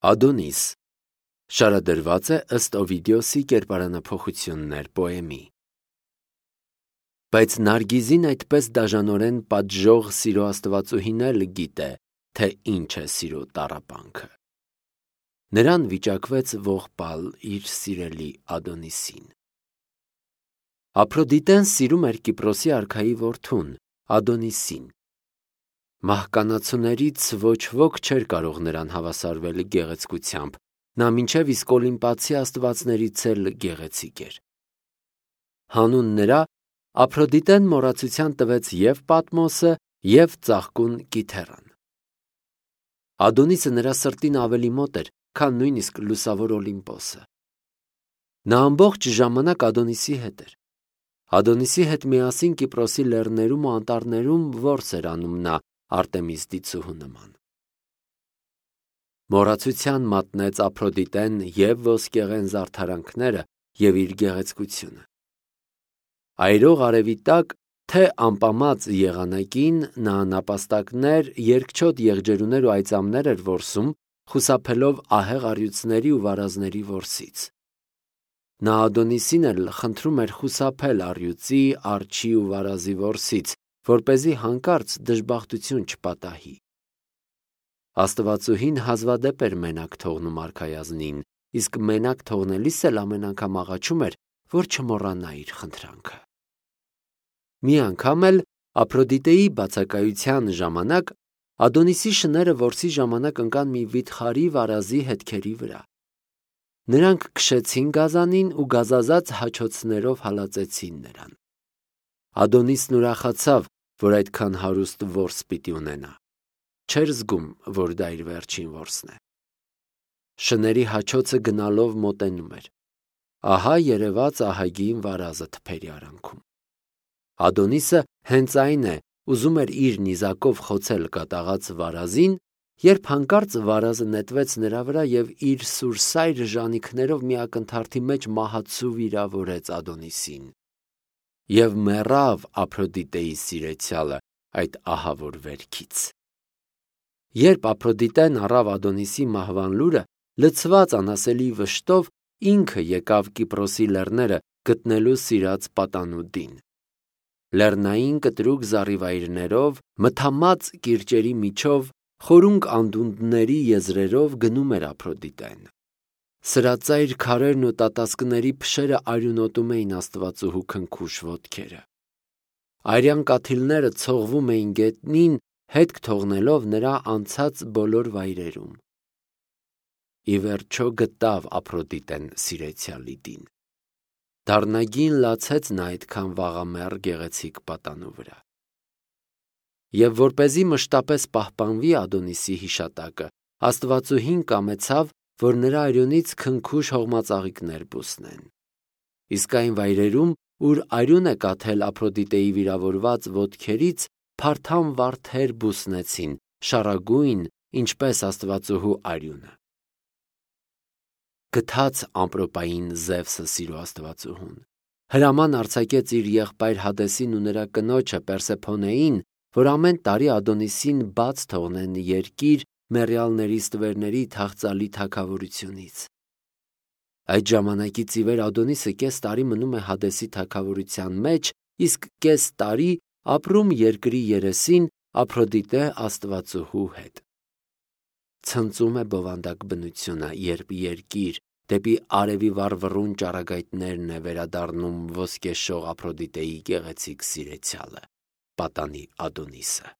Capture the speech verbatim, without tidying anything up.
Ադոնիս շարադրված է ըստ Օվիդիոսի կերպարանափոխություններ պոեմի։ Բայց Նարգիզին այդպես դաժանորեն պատժող սիրո աստվածուհին էլ գիտե, թե ինչ է սիրո տառապանքը։ Նրան վիճակվեց ողբալ իր սիրելի Ադոնիսին։ Ափրոդիտեն սիրում էր Կիպրոսի արքայի որդուն, Ադոնիսին։ Մահկանացուներից ոչ ոք չէր կարող նրան հավասարվել գեղեցկությամբ, նա մինչև իսկ օլիմպացի աստվածներից էլ գեղեցիկ էր։ Հանուն նրա Ափրոդիտեն մոռացության տվեց և Պատմոսը, և ծաղկուն Կիթեռան։ Ադոնիսը նրա սրտին ավելի մոտ էր, քան նույնիսկ լուսավոր Օլիմպոսը։ Նա ամբողջ ժամանակ Ադոնիսի հետ էր։ Ադոնիսի հետ միասին Կիպրոսի լեռներում ու անտառներում որս էր անում նա Արտեմիս դիցուհու նման։ Մոռացության մատնեց Ափրոդիտեն և ոսկեղեն զարդարանքները և իր գեղեցկությունը։ Այրող արևի տակ, թե ամպամած եղանակին նա նապաստակներ, երկչոտ եղջերուներ ու այծամներ էր որսում, խուսափելով ահեղ առյուծների ու վարազների որսից։ Նա Ադոնիսին էլ խնդրում էր խուսափել առյուծի, արջի ու վարազի որսից, որպեսզի հանկարծ դժբախտություն չպատահի։ Աստվածուհին հազվադեպ էր մենակ թողնում արքայազնին, իսկ մենակ թողնելիս էլ ամեն անգամ աղաչում էր, որ չմոռանա իր խնդրանքը։ Մի անգամ էլ Ափրոդիտեի բացակայության ժամանակ Ադոնիսի շները որսի ժամանակ ընկան մի վիթխարի վարազի հետքերի վրա։ Նրանք քշեցին գազանին ու գազազած հաչոցներով հալածեցին նրան։ Ադոնիսն ուրախացավ, որ այդքան հարուստ որս պիտի ունենա։ Չէր զգում, որ դա իր վերջին որսն է։ Շների հաչոցը գնալով մոտենում էր։ Ահա երևաց ահագին վարազը թփերի արանքում։ Ադոնիսը հենց այն է, ուզում էր իր նիզակով խոցել կատաղած վարազին, երբ հանկարծ վարազը նետվեց նրա վրա և իր սուրսայր ժանիքներով մի ակնթարթի մեջ մահացու վիրավորեց Ադոնիսին։ Եվ մեռավ Ափրոդիտեի սիրեցյալը այդ ահավոր վերքից։ Երբ Ափրոդիտեն առավ Ադոնիսի մահվան լուրը, լցված անասելի վշտով ինքը եկավ Կիպրոսի լեռները գտնելու սիրած պատանուդին։ Լեռնային կտրուկ զառիվայրներով, մթամած կիրճերի միջով, խորունկ անդունդների եզրերով գնում էր Ափրոդիտեն։ Սրածայր քարերն ու տատասկների փշերը արյունոտում էին աստվածուհու քնքուշ ոտքերը։ Արյան կաթիլները ցողվում էին գետնին, հետք թողնելով նրա անցած բոլոր վայրերում։ Ի վերջո գտավ Ափրոդիտեն սիրեցյալի դին։ Դառնագին լացեց նա այդքան վաղամեռ գեղեցիկ պատանու վրա։ Եվ որպեսզի մշտապես պահպանվի Ադոնիսի հիշատակը, աստվածուհին կամեցավ, որ նրա արյունից քնքուշ հողմածաղիկներ բուսնեն։ Իսկ այն վայրերում, ուր արյուն է կաթել Ափրոդիտեի վիրավորված ոտքերից, փարթամ վարդեր բուսնեցին, շառագույն, ինչպես աստվածուհու արյունը։ Գթաց ամպրոպային Զևսը սիրո աստվածուհուն։ Հրաման արձակեց իր եղբայր Հադեսին ու նրա կնոջը Պերսեփոնեին, որ ամեն տարի Ադոնիսին բաց թողնեն երկիր մեռյալների ստվերների թախծալի թագավորությունից։ Այդ ժամանակից ի վեր Ադոնիսը կես տարի մնում է Հադեսի թագավորության մեջ, իսկ կես տարի ապրում երկրի երեսին Ափրոդիտե աստվածուհու հետ։ Ցնծում է բովանդակ բնությունը, երբ երկիր դեպի արևի վառվռուն ճառագայթներն է վերադառնում ոսկեշող Ափրոդիտեի գեղեցիկ սիրեցյալը, պատանի Ադոնիսը։